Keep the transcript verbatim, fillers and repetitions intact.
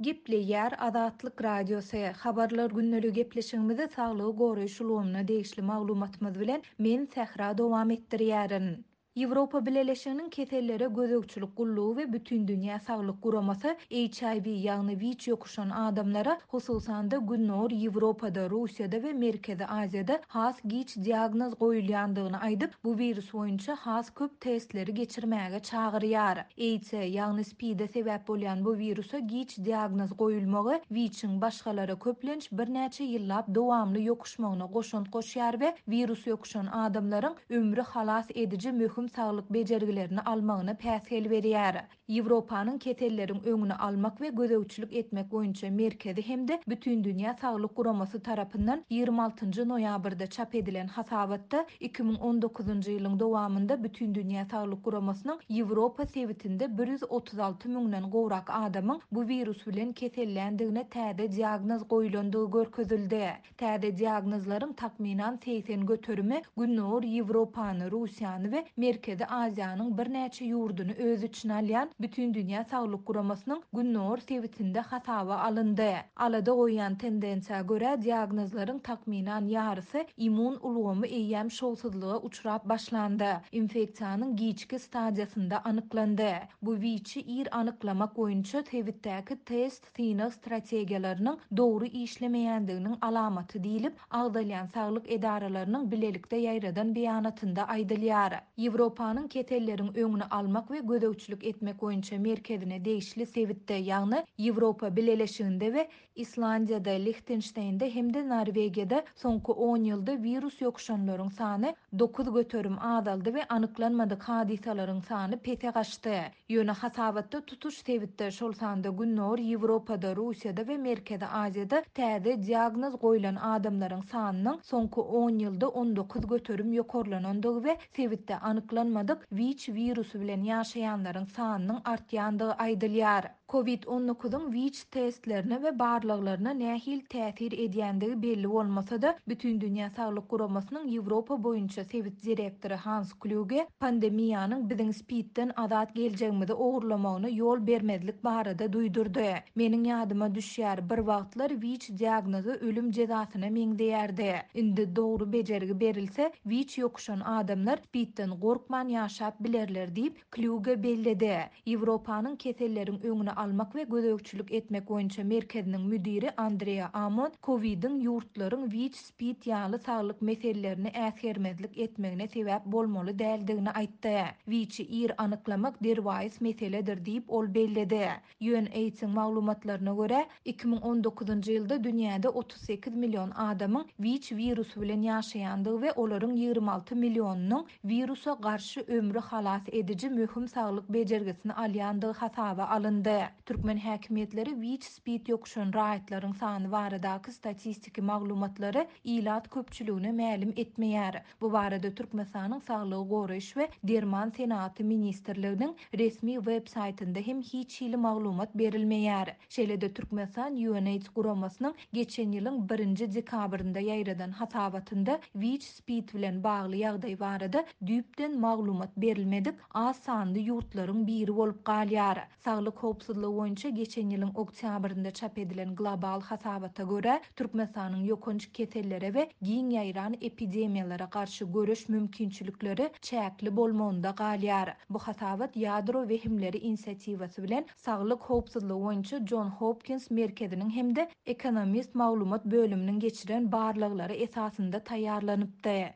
Gepleýär Azatlyk Radiosy, Habarlar gündeligi gepleşigimizi saglygy goraýyş ulgamyna degişli maglumatymyz bilen men Sähra dowam etdirýärin. Ýewropa Bileleşiginiň Kesellere gözegçilik gullugy we Bütindünýä saglyk guramasy H I V, ýagny WIÇ ýokuşan adamlara, hususan-da Gündogar Ýewropada, Russiýada we Merkezi Aziýada has giç diagnoz goýulýandygyny aýdyp, bu wirus boýunça has köp testleri geçirmäge çagyrýar. AIDS-e, ýagny SPID-e sebäp bolýan bu wirusa giç diagnoz goýulmagy WIÇ-iň başgalara köplenç birnäçe ýyllap dowamly ýokuşmagyna goşant goşýar we wirus ýokuşan adamlaryň ömri halas ediji möhüm saglyk bejergilerini almagyna päsgel berýär. Ýewropanyň keselleriň öňüni almak we gözegçilik etmek boýunça merkezi hem-de Bütindünýä saglyk guramasy tarapyndan ýigrimi altynjy noýabrda çap edilen hasabatda iki müň on dokuzynjy ýylyň dowamynda Bütindünýä saglyk guramasynyň Ýewropa sebitinde bir ýüz otuz alty müňden gowrak adamyň bu wirus bilen keselländigine täze diagnoz goýulandygy görkezildi. Täze diagnozlaryň takmynan segsen göterimi Gündogar Ýewropany, Russiýany we Merkezi Aziýanyň birnäçe ýurduny öz içine alýan Bütindünýä saglyk guramasynyň Gündogar sebitinde hasaba alyndy. Alada goýýan tendensiýa görä diagnozlaryň takmynan ýarysy immun ulgamy eýýäm şowsuzlyga uçrap başlandy. Infeksiýanyň giçki stadiýasynda anyklandy. Bu WIÇ-i ir anyklamak boýunça sebitdäki test synag strategiýalarynyň dogry işlemeýändiginiň alamaty diýlip, agzalýan saglyk edaralarynyň bilelikde ýaýradan beýanatynda aýdylýar. Ýewropanyň keselleriň öňüni almak we gözegçilik etmek boýunça merkezine degişli sebitde, ýagny Ýewropa Bileleşiginde we Islandiýada, Lichtensteýnde hem-de Norwegiýada soňky on ýylda wirus ýokuşanlaryň sany dokuz göterim azaldy we anyklanmadyk hadysalaryň sany pese gaçdy. Ýöne hasabatda tutuş sebitde, şol sanda Gündogar Ýewropada, Russiýada we Merkezi Aziýada täze diagnoz goýlan adamlaryň sanynyň soňky on ýylda on dokuz göterim ýokarlanandygy we sebitde anyklanmadyk WIÇ wirusy bilen ýaşaýanlaryň sanynyň artýandygy aýdylýar. Covid on dokuzyň WIÇ testlerine we barlaglaryna nähili täsir edýändigi belli bolmasa-da, Bütindünýä Saglyk Guramasynyň Ýewropa boýunça sebit direktory Hans Kluge pandemiýanyň biziň SPID-den azat geljegimizi ogurlamagyna ýol bermezlik barada duýdurdy. Meniň ýadyma düşýär, bir wagtlar WIÇ diagnozy ölüm jezasyna meňzeýärdi. Indi dogry bejergi berilse, WIÇ ýokuşan adamlar SPID-den gorkman ýaşap bilerler diýip, Kluge belledi. Ýewropanyň keselleriň öňüni almak we gözegçilik etmek boýunça merkeziniň müdiri Andrea Amon Covid'iň ýurtlaryň WIÇ SPID ýaly saglyk meselelerini äsgermezlik etmegine sebäp bolmaly däldigini aýtdy. WIÇ-i ir anyklamak derwaýys meseledir diýip ol belledi. U N AIDS-iň maglumatlaryna görä, iki müň on dokuzynjy ýylda dünýäde otuz sekiz million adamyň WIÇ wirusy bilen ýaşaýandygy we olaryň ýigrimi alty millionynyň wirusa garşy ömri halas ediji möhüm saglyk bejergisini alýandygy hasaba alyndy. Türkmen häkimiýetleri WIÇ SPID ýokuşan raýatlaryň sany baradaky statistiki maglumatlary ilat köpçüligine mälim etmeýär. Bu barada Türkmenistanyň Saglygy goraýyş we Derman senagaty ministrliginiň resmi web saýtynda hem hiç hili maglumat berilmeýär. Şeýle-de Türkmenistan U N AIDS guramasynyň geçen ýylyň birinji dekabrynda ýaýradan hasabatynda WIÇ SPID bilen bagly ýagdaý barada düýpden maglumat berilmedik az sanly ýurtlaryň biri bolup galýar. Saglyk howpsuzlygy boýunça geçen ýylyň oktýabrynda çap edilen global hasabata görä, Türkmenistanyň ýokanç kesellere we giň ýaýran epidemiýalara garşy göreş mümkinçilikleri çäkli bolmagynda galýar. Bu hasabat ýadro wehimleri inisiatiwasy bilen Saglyk howpsuzlygy boýunça John Hopkins merkeziniň hem-de Ekonomist maglumat bölüminiň geçiren barlaglary esasynda taýýarlanypdy.